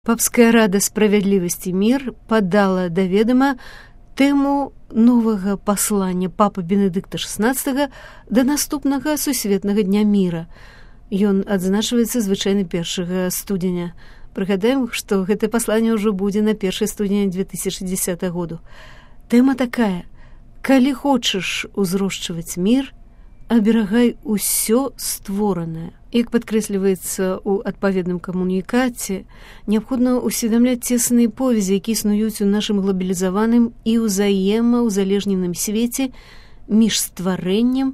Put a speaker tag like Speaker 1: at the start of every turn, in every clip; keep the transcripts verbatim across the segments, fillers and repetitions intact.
Speaker 1: Папская рада справядлівасці мір падала да ведама тэму новага паслання папы Бенедыкта шаснаццатага да наступнага сусветнага дня міра. Ён адзначваецца звычайна першага студзеня. Прыгадаем, што гэтае пасланне ўжо будзе на першае студзеня две тысячы дзесятага году. Тэма такая: калі хочаш узрошчваць мір, аберагай усё створанае. Як падкрэсліваецца ў адпаведным камунікаце, неабходна усведамляць цесныя повязі, якія існуюць у нашым глабалізаваным і ўзаемаўзалежненым свеце між стварэннем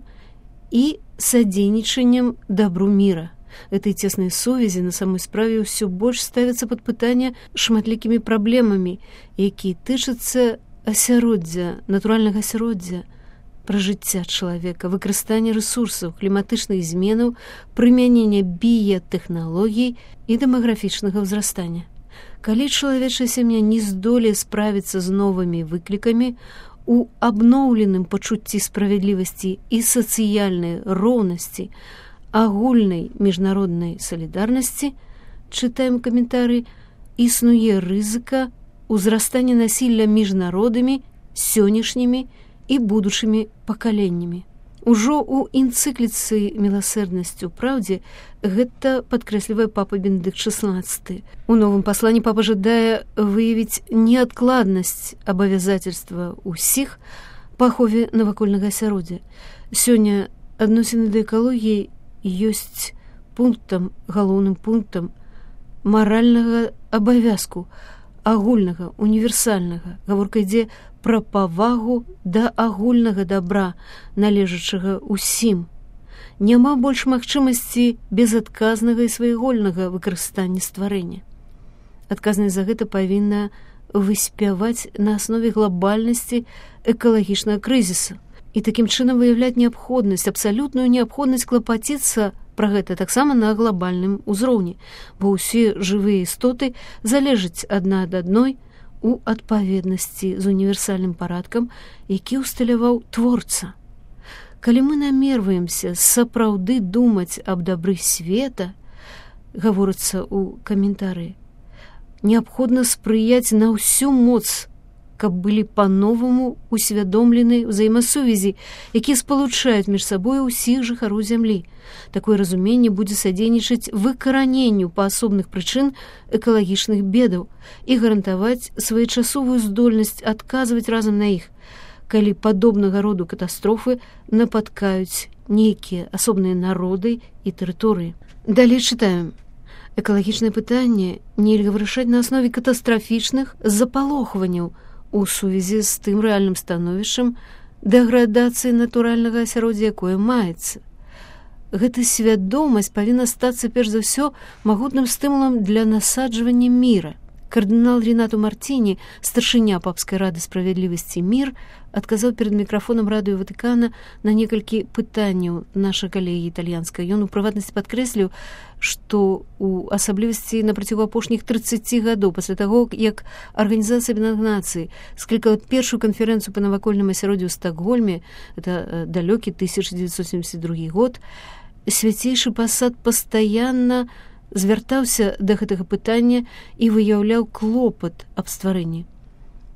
Speaker 1: і садзейнічаннем дабру міра. Этой цеснай сувязі на самой справе ўсё больш ставяцца пад пытанне шматлікімі праблемамі, якія тычацца асяроддзя, натуральнага асяроддзя, пражыцця чалавека, выкарыстання рэсурсаў, кліматычных зменаў, прымянення біятэхналогій і дэмаграфічнага ўзрастання. Калі чалавечая сям'я не здолее справіцца з новымі выклікамі, у абноўленым пачуцці справядлівасці і сацыяльнай роўнасці, агульнай міжнароднай салідарнасці, чытаем каментары, існуе рызыка ўзрастання насілля між народамі, сённяшнімі і будучымі пакаленнямі. Ужо ў энцыкліцы «Міласэрнасць у праўдзе» гэта падкрэслівае папа Бенедыкт шаснаццаты. У новым пасланні папа жадае выявіць неадкладнасць абавязательства ўсіх па ахове навакольнага асяроддзя. Сёння адносіны да экалогіі ёсць пунктам, галоўным пунктам маральнага абавязку, агульнага, універсальнага. Гаворка ідзе пра павагу да агульнага дабра, належачага ўсім. Няма больш магчымасці безадказнага і свайвольнага выкарыстання стварэння. Адказнасць за гэта павінна выспяваць на аснове глобальнасці экалагічнага крызіса і такім чынам выяўляць неабходнасць, абсалютную неабходнасць клапаціцца пра гэта таксама на глобальным узроўні, бо ўсе жывыя істоты залежаць адна ад адной у адпаведнасці з універсальным парадкам, які ўсталяваў творца. Калі мы намерваемся сапраўды думаць аб дабры света, гаворыцца ў каментарыі, неабходна спрыяць на ўсю моц, каб былі па-новаму усвядомлены ўзаемасувязі, якія спалучаюць між сабой усіх жыхароў зямлі. Такое разуменне будзе садзейнічаць выкараненню па асобных прычын экалагічных бедаў і гарантаваць своечасовую здольнасць адказваць разам на іх, калі падобнага роду катастрофы напаткаюць нейкія асобныя народы і тэрыторыі. Далей чытаем. Экалагічнае пытанне нельга вырашаць на аснове катастрафічных запалохванняў у сувязі з тым рэальным становішчам дэградацыі натуральнага асяроддзя, якое маецца. Гэта свядомасць павінна стацца перш за ўсё магутным стымулам для насаджвання міра. Кардынал Ренату Мартіні, старшыня папскай рады справядлівасці мір, адказаў перад мікрафонам радыё Ватыкана на некалькі пытанняў нашай калегі італьянскай. Ён у прыватнасці падкрэсліў, што у асаблівасці на працягу апошніх трыццаці гадоў пасля таго, як Арганізацыя Аб'яднаных Нацый склікала першую канферэнцыю па навакольным асяроддзю ў Стакгольме, это далёкі тысяча дзевяцьсот семьдесят другі год, свяцейшы пасад пастаянна звяртаўся да гэтага пытання і выяўляў клопат аб стварэнні.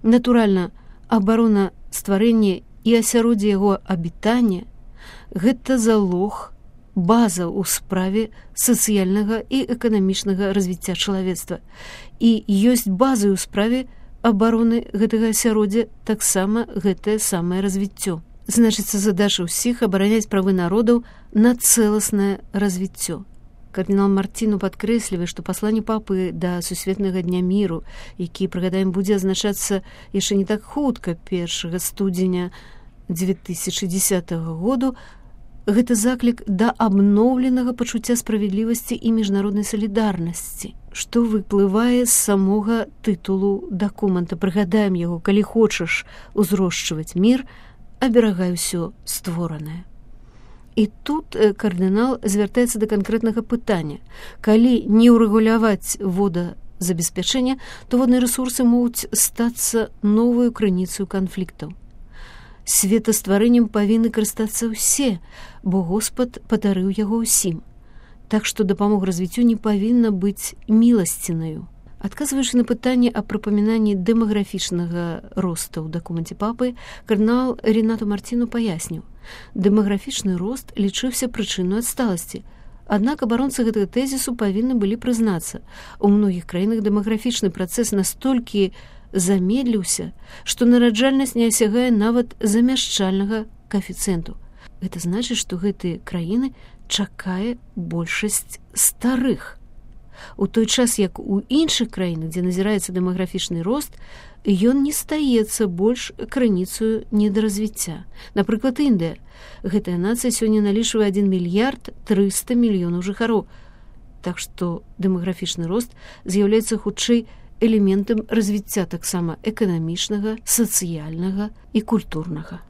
Speaker 1: Натуральна, абарона стварэння і асяроддзя яго абітання – гэта залог, база ў справе сацыяльнага і эканамічнага развіцця чалавецтва. І ёсць базы ў справе абароны гэтага асяроддзя таксама гэтае самае развіццё. Значыцца, задача ўсіх абараняць правы народаў на цэласнае развіццё. Кардынал Мартіну падкрэслівае, што пасланне папы да сусветнага дня міру, які, прыгадаем, будзе азначацца яшчэ не так хутка першага студзеня две тысячы дзесятага году, гэта заклік да абноўленага пачуцця справядлівасці і міжнароднай салідарнасці, што выплывае з самога тытулу дакумента. Прыгадаем яго: калі хочаш узрошчваць мір, аберагай усё створанае. І тут кардынал звяртаецца да канкрэтнага пытання. Калі не ўрэгуляваць водазабеспячэнне, то водныя рэсурсы могуць стацца новую крыніцаю канфліктаў. Светастварэннем павінны карыстацца ўсе, бо Господ падарыў яго ўсім. Так што дапамога развіццю не павінна быць міласцінаю. Адказваючы на пытанне аб прыпамінанні дэмаграфічнага росту ў дакуменце папы, кардынал Ренату Мартіну паясніў: дэмаграфічны рост лічыўся прычынай адсталасці. Аднак абаронцы гэтага тэзісу павінны былі прызнацца, у многіх краінах дэмаграфічны працэс настолькі замедліўся, што нараджальнасць не асягае нават замяшчальнага каэфіцыенту. Гэта значыць, што гэтыя краіны чакае большасць старых. У той час, як у іншых краінах, дзе назіраецца дэмаграфічны рост, ён не стаецца больш крыніцаю недаразвіцця. Напрыклад, Індыя. Гэтая нацыя сёння налічвае адзін мільярд трыста мільёнаў жыхароў. Так што дэмаграфічны рост з'яўляецца хутчэй элементам развіцця таксама эканамічнага, сацыяльнага і культурнага.